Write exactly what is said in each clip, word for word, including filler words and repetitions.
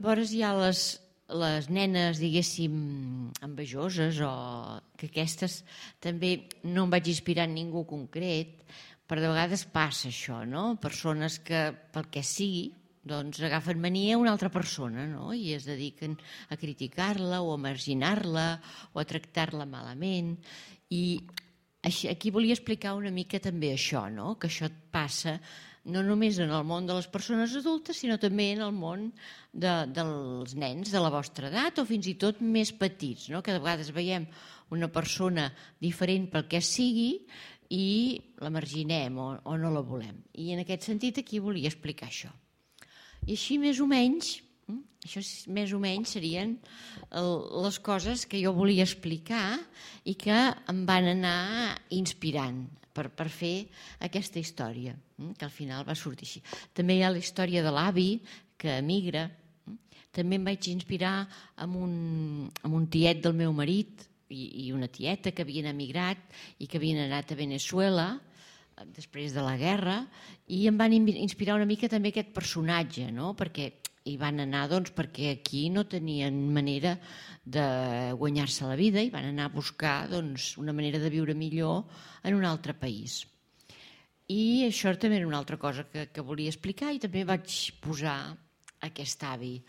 Llavors hi ha les, les nenes, diguéssim, envejoses, o que aquestes també no em vaig inspirar en ningú concret, però de vegades passa això, no? Persones que, pel que sigui, doncs agafen mania a una altra persona, no? I es dediquen a criticar-la o a marginar-la o a tractar-la malament. I aquí volia explicar una mica també això, no? Que això et passa no només en el món de les persones adultes, sinó també en el món de, dels nens de la vostra edat o fins i tot més petits, no? Que de vegades veiem una persona diferent pel que sigui i la marginem o, o no la volem. I en aquest sentit aquí volia explicar això. I així més o menys, això més o menys serien les coses que jo volia explicar i que em van anar inspirant per, per fer aquesta història, que al final va sortir així. També hi ha la història de l'avi que emigra. També em vaig inspirar amb un, amb un tiet del meu marit i, i una tieta que havien emigrat i que havien anat a Venezuela després de la guerra, i em van inspirar una mica també aquest personatge, no? Perquè hi van anar doncs, perquè aquí no tenien manera de guanyar-se la vida i van anar a buscar doncs, una manera de viure millor en un altre país. I això també era una altra cosa que, que volia explicar, i també vaig posar aquest avi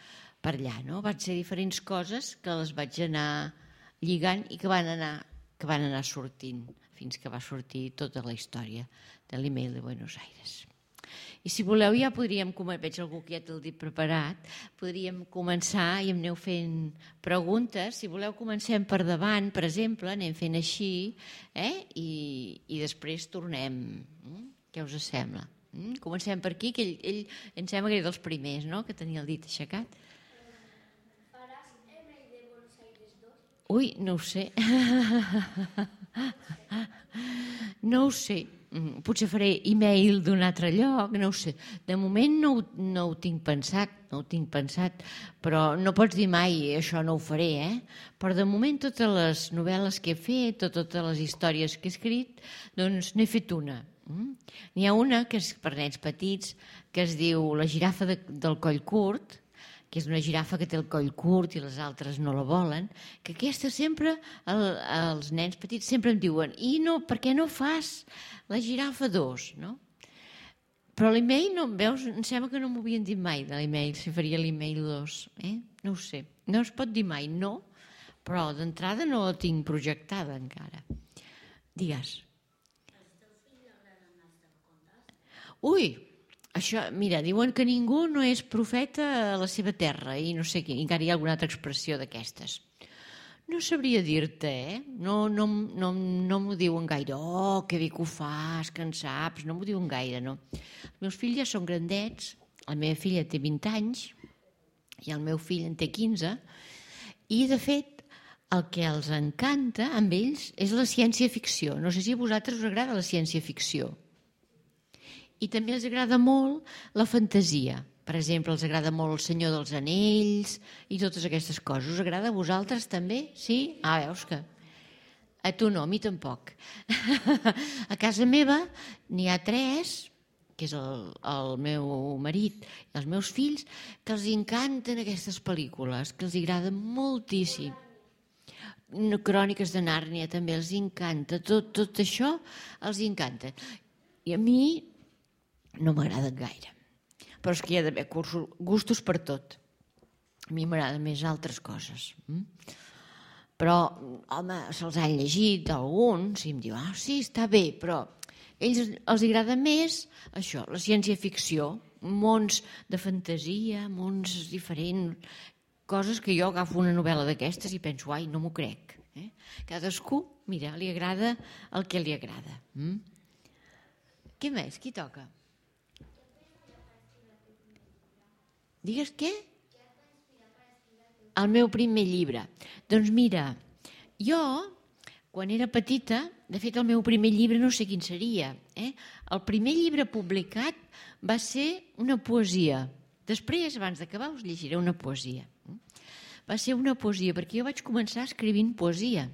per allà, no? Van ser diferents coses que les vaig anar lligant i que van anar, que van anar sortint fins que va sortir tota la història de l'email de Buenos Aires. I si voleu ja podríem, veig algú que ja té el dit preparat, podríem començar i em aneu fent preguntes. Si voleu comencem per davant, per exemple, anem fent així, eh? I, i després tornem. Què us sembla? Comencem per aquí, que ell, ell em sembla que era dels primers, no?, que tenia el dit aixecat. Faràs email de Buenos Aires dos? Ui, no ho sé. No ho sé. Potser faré e-mail d'un altre lloc, no ho sé. De moment no, no ho tinc pensat, no ho tinc pensat, però no pots dir mai això no ho faré, eh? Però de moment totes les novel·les que he fet, totes les històries que he escrit, doncs n'he fet una. N'hi ha una que és per nens petits, que es diu La girafa de, del coll curt, que és una girafa que té el coll curt i les altres no la volen, que aquesta sempre, el, els nens petits sempre em diuen i no, per què no fas la girafa dos, no? Però l'email, no, veus, em sembla que no m'ho havien dit mai de l'email, si faria l'email dos, eh? No ho sé, no es pot dir mai, no, però d'entrada no la tinc projectada encara. Digues. Al teu fill li agraden els contes? Ui, això, mira, diuen que ningú no és profeta a la seva terra i no sé què, encara hi ha alguna altra expressió d'aquestes. No sabria dir-te, eh? No, no, no, no m'ho diuen gaire. Oh, que bé que ho fas, que en saps. No m'ho diuen gaire, no. Els meus fills ja són grandets. La meva filla té vint anys i el meu fill en té quinze. I, de fet, el que els encanta amb ells és la ciència-ficció. No sé si a vosaltres us agrada la ciència-ficció. I també els agrada molt la fantasia. Per exemple, els agrada molt El Senyor dels Anells i totes aquestes coses. Us agrada a vosaltres també? Sí? Ah, veus que... A tu no, a mi tampoc. A casa meva n'hi ha tres, que és el, el meu marit i els meus fills, que els encanten aquestes pel·lícules, que els agraden moltíssim. Cròniques de Nàrnia també els encanta. Tot, tot això els encanta. I a mi no m'agraden gaire. Però és que hi ha d'haver gustos per tot. A mi m'agraden més altres coses. Però, home, se'ls han llegit alguns i em diuen, ah, sí, està bé, però a ells els agrada més això, la ciència-ficció, mons de fantasia, mons diferents, coses que jo agafo una novel·la d'aquestes i penso, ai, no m'ho crec. Eh? Cadascú, mira, li agrada el que li agrada. Mm? Què més? Qui toca? Digues què? El meu primer llibre. Doncs mira, jo, quan era petita, de fet el meu primer llibre no sé quin seria. Eh? El primer llibre publicat va ser una poesia. Després, abans d'acabar, us llegiré una poesia. Va ser una poesia, perquè jo vaig començar escrivint poesia.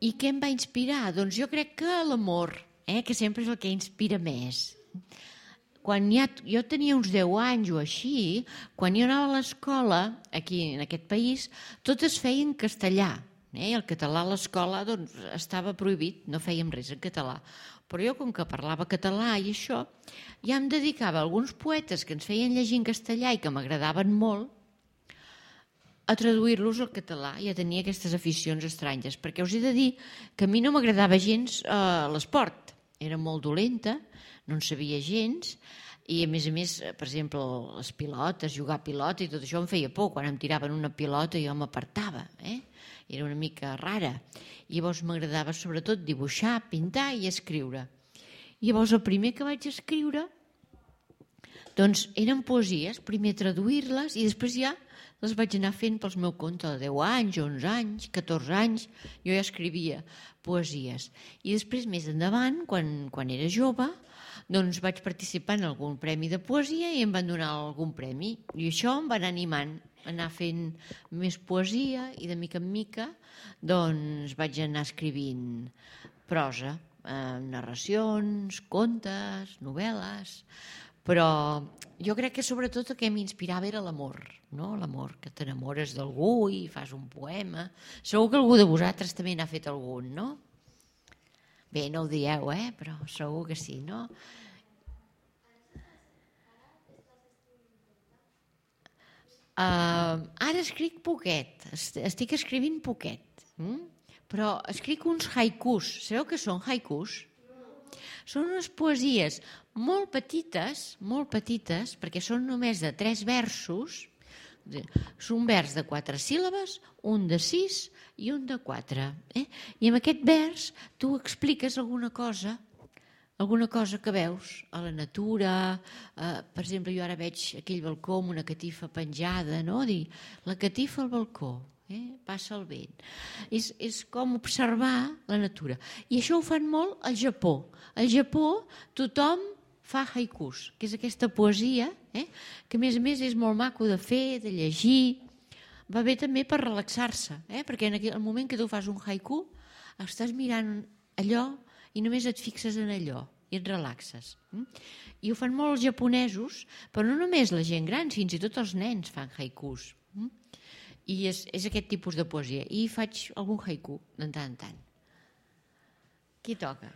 I què em va inspirar? Doncs jo crec que l'amor, eh? Que sempre és el que inspira més. quan ja, jo tenia uns deu anys o així, quan jo anava a l'escola, aquí en aquest país, tot es feia en castellà. Eh? El català a l'escola doncs, estava prohibit, no fèiem res en català. Però jo, com que parlava català i això, ja em dedicava a alguns poetes que ens feien llegir en castellà i que m'agradaven molt, a traduir-los al català. Ja tenia aquestes aficions estranyes, perquè us he de dir que a mi no m'agradava gens eh, l'esport. Era molt dolenta, no en sabia gens, i a més a més, per exemple, les pilotes, jugar a pilota i tot això em feia por. Quan em tiraven una pilota jo m'apartava, eh? Era una mica rara. I llavors m'agradava sobretot dibuixar, pintar i escriure. I llavors el primer que vaig escriure doncs eren poesies, primer traduir-les i després ja les vaig anar fent pels meu compte de deu anys, onze anys, catorze anys, jo ja escrivia poesies. I després, més endavant, quan, quan era jove, doncs vaig participar en algun premi de poesia i em van donar algun premi. I això em va anar animant a anar fent més poesia i de mica en mica doncs vaig anar escrivint prosa, eh, narracions, contes, novel·les, però jo crec que sobretot el que m'inspirava era l'amor, no? L'amor, que t'enamores d'algú i fas un poema. Segur que algú de vosaltres també n'ha fet algun, no? Bé, no ho dieu, eh? Però segur que sí, no? Uh, ara escric poquet, estic escrivint poquet, mm? Però escric uns haikus. Sabeu què són haikus? Són unes poesies molt petites, molt petites, perquè són només de tres versos. És un vers de quatre síl·labes, un de sis i un de quatre. Eh? I amb aquest vers tu expliques alguna cosa, alguna cosa que veus a la natura. Eh, per exemple, jo ara veig aquell balcó amb una catifa penjada, no? Dir, la catifa al balcó. Eh? Passa el vent. És, és com observar la natura. I això ho fan molt al Japó. Al Japó tothom fa haikus, que és aquesta poesia, eh? Que a més a més és molt maco de fer, de llegir. Va bé també per relaxar-se, eh? Perquè en el moment que tu fas un haiku estàs mirant allò i només et fixes en allò i et relaxes. I ho fan molt els japonesos, però no només la gent gran, fins i tot els nens fan haikus. I és, és aquest tipus de poesia. I faig algun haiku de tant en tant. Qui toca?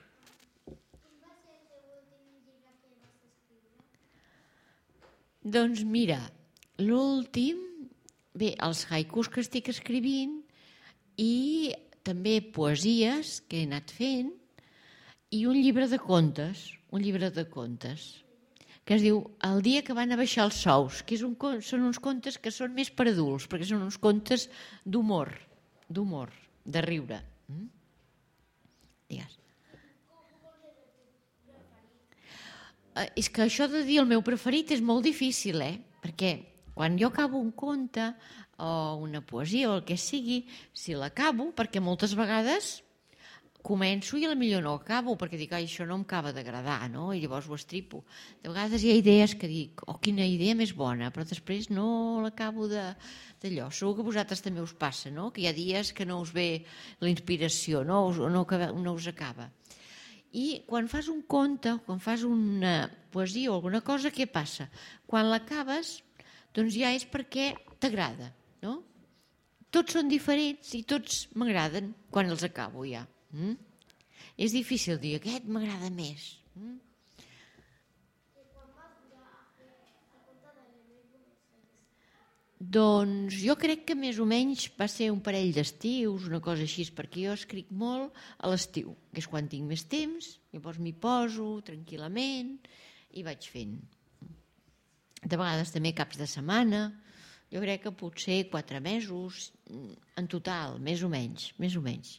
Doncs mira, l'últim, bé, els haikus que estic escrivint i també poesies que he anat fent i un llibre de contes, un llibre de contes, que es diu El dia que van a baixar els sous, que és un, són uns contes que són més per adults, perquè són uns contes d'humor, d'humor, de riure. Mm? Digues. Uh, és que això de dir el meu preferit és molt difícil, eh? Perquè quan jo acabo un conte o una poesia o el que sigui, si l'acabo, perquè moltes vegades començo i potser no acabo, perquè dic, ai, això no em acaba d'agradar, no? I llavors ho estripo. De vegades hi ha idees que dic, oh, quina idea més bona, però després no l'acabo d'allò. Segur que a vosaltres també us passa, no? Que hi ha dies que no us ve la inspiració, no, no, no us acaba. I quan fas un conte, quan fas una poesia o alguna cosa, què passa? Quan l'acabes, doncs ja és perquè t'agrada, no? Tots són diferents i tots m'agraden quan els acabo ja. Mm? És difícil dir, aquest m'agrada més. Mm? Doncs jo crec que més o menys va ser un parell d'estius, una cosa així, perquè jo escric molt a l'estiu, que és quan tinc més temps, llavors m'hi poso tranquil·lament i vaig fent. De vegades també caps de setmana, jo crec que potser quatre mesos, en total, més o menys, més o menys.